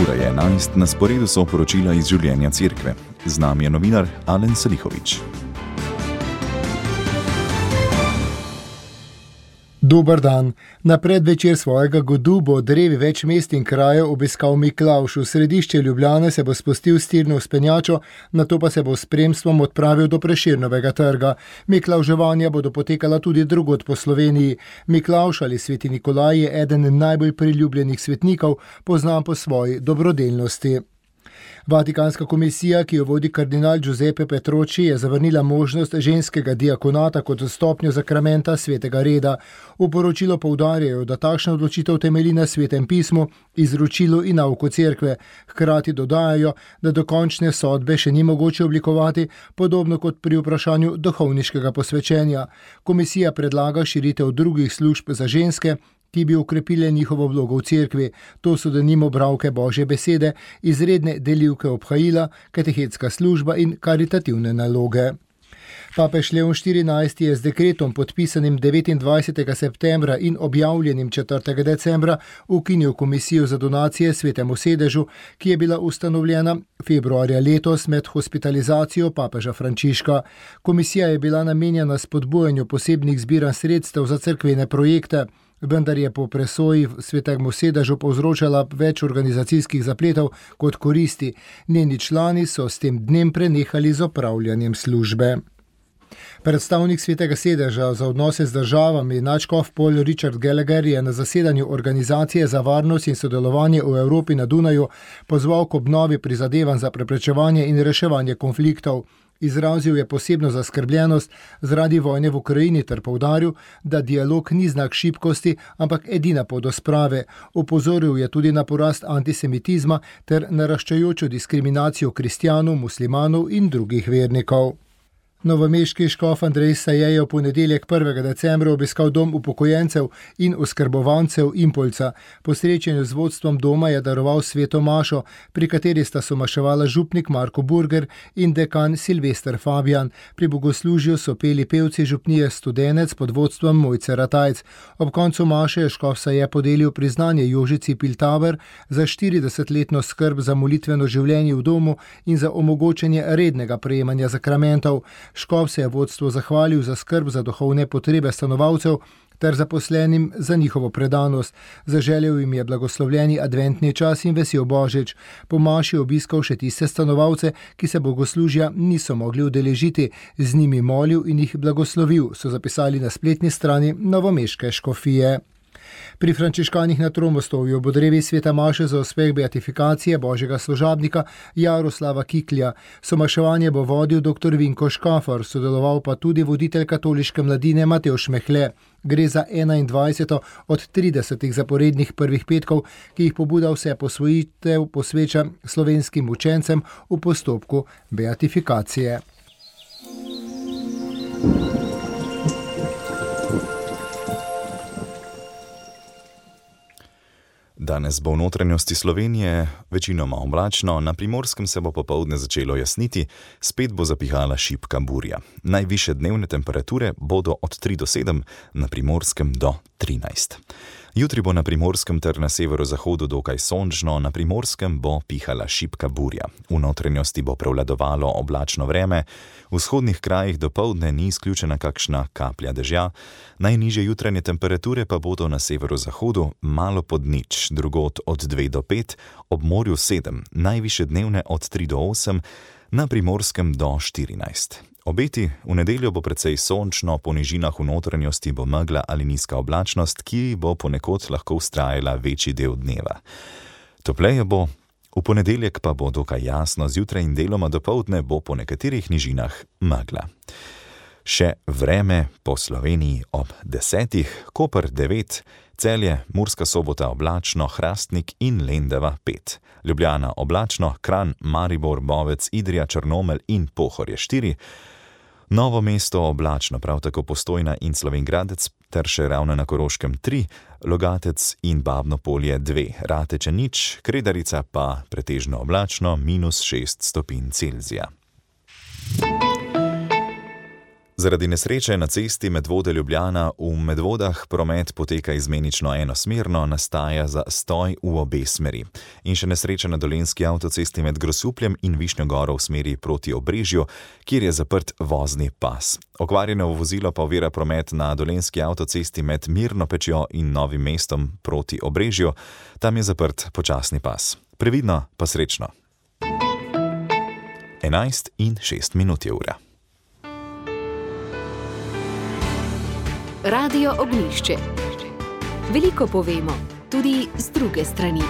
Ura je 11, na sporedu so poročila iz življenja cerkve. Z nami je novinar Alen Salihović. Dober dan. Na predvečer svojega godu bo drevi več mest in krajev obiskal Miklavž. V središče Ljubljane se bo spustil s tirno vzpenjačo, nato pa se bo s spremstvom odpravil do Prešernovega trga. Miklavževanja bodo potekala tudi drugod po Sloveniji. Miklavž ali sveti Nikolaj je eden najbolj priljubljenih svetnikov, poznan po svoji dobrodelnosti. Vatikanska komisija, ki jo vodi kardinal Giuseppe Petroci, je zavrnila možnost ženskega diakonata kot stopnjo zakramenta svetega reda. V poročilu poudarjajo, da takšna odločitev temelji na svetem pismu, izročilu in nauku cerkve. Hkrati dodajajo, da dokončne sodbe še ni mogoče oblikovati, podobno kot pri vprašanju duhovniškega posvečenja. Komisija predlaga širitev drugih služb za ženske, ki bi okrepile njihovo vlogo v cerkvi. To so denimo bralke Božje besede, izredne delivke obhajila, katehetska služba in karitativne naloge. Papež Leon XIV je z dekretom podpisanim 29. septembra in objavljenim 4. decembra ukinil komisijo za donacije Svetemu sedežu, ki je bila ustanovljena februarja letos med hospitalizacijo papeža Frančiška. Komisija je bila namenjena spodbujanju posebnih zbiranj sredstev za cerkvene projekte, vendar je po presoji Svetemu sedežu povzročala več organizacijskih zapletov kot koristi. Njeni člani so s tem dnem prenehali z opravljanjem službe. Predstavnik Svetega sedeža za odnose z državami, nadškof Paul Richard Gallagher, je na zasedanju Organizacije za varnost in sodelovanje v Evropi na Dunaju pozval k obnovi prizadevanj za preprečevanje in reševanje konfliktov. Izrazil je posebno zaskrbljenost zaradi vojne v Ukrajini ter poudaril, da dialog ni znak šibkosti, ampak edina pot do sprave. Opozoril je tudi na porast antisemitizma ter naraščajočo diskriminacijo kristjanov, muslimanov in drugih vernikov. Novomeški škof Andrej Saje je v ponedeljek 1. decembra obiskal dom upokojencev in oskrbovancev Impolca. Po srečanju z vodstvom doma je daroval sveto mašo, pri kateri sta somaševala župnik Marko Burger in dekan Silvester Fabijan. Pri bogoslužju so peli pevci župnije Studenec pod vodstvom Mojce Ratajc. Ob koncu maše je škof Saje podelil priznanje Jožici Piltaver za 40-letno skrb za molitveno življenje v domu in za omogočanje rednega prejemanja zakramentov. Škof se je vodstvu zahvalil za skrb za duhovne potrebe stanovalcev ter zaposlenim za njihovo predanost. Zaželel jim je blagoslovljeni adventni čas in vesel Božič. Po maši obiskal še tiste stanovalce, ki se bogoslužja niso mogli udeležiti, z njimi molil in jih blagoslovil, so zapisali na spletni strani novomeške škofije. Pri frančiškanih na Tromostovju bo drevi sveta maše za uspeh beatifikacije božjega služabnika Jaroslava Kiklja. Somaševanje bo vodil dr. Vinko Škafar, sodeloval pa tudi voditelj katoliške mladine Matevž Mehle. Gre za 21. od 30 zaporednih prvih petkov, ki jih pobuda vse posvojitev posveča slovenskim učencem v postopku beatifikacije. Danes bo v notranjosti Slovenije večinoma oblačno, na Primorskem se bo popoldne začelo jasniti, spet bo zapihala šibka burja. Najvišje dnevne temperature bodo od 3 do 7, na Primorskem do 13. Jutri bo na Primorskem ter na severozahodu dokaj sončno, na Primorskem bo pihala šibka burja. V notranjosti bo prevladovalo oblačno vreme, v vzhodnih krajih dopoldne ni izključena kakšna kaplja dežja, najnižje jutranje temperature pa bodo na severozahodu malo pod nič, drugod od 2 do 5, ob morju 7, najvišje dnevne od 3 do 8, na Primorskem do 14. Obeti, v nedeljo bo precej sončno, po nižinah v notranjosti bo megla ali nizka oblačnost, ki bo ponekod lahko vztrajala večji del dneva. Topleje bo, v ponedeljek pa bo dokaj jasno, zjutraj in deloma dopoldne bo po nekaterih nižinah megla. Še vreme po Sloveniji ob 10, Koper 9, Celje, Murska Sobota oblačno, Hrastnik in Lendava 5. Ljubljana oblačno, Kranj, Maribor, Bovec, Idrija, Črnomelj in Pohorje 4. Novo mesto oblačno, prav tako Postojna in Slovenj Gradec ter še Ravne na Koroškem 3, Logatec in Babno Polje 2, Rateče 0, Kredarica pa pretežno oblačno, -6 stopinj Celzija. Zaradi nesreče na cesti Medvode-Ljubljana v Medvodah promet poteka izmenično enosmerno, nastaja zastoj v obe smeri. In še nesreča na dolenjski avtocesti med Grosupljem in Višnjo Goro v smeri proti Obrežju, kjer je zaprt vozni pas. Okvarjeno vozilo pa ovira promet na dolenjski avtocesti med Mirno Pečjo in Novim mestom proti Obrežju. Tam je zaprt počasni pas. Previdno pa srečno. 11:06 je ura. Radio Ognjišče. Veliko povemo, tudi z druge strani.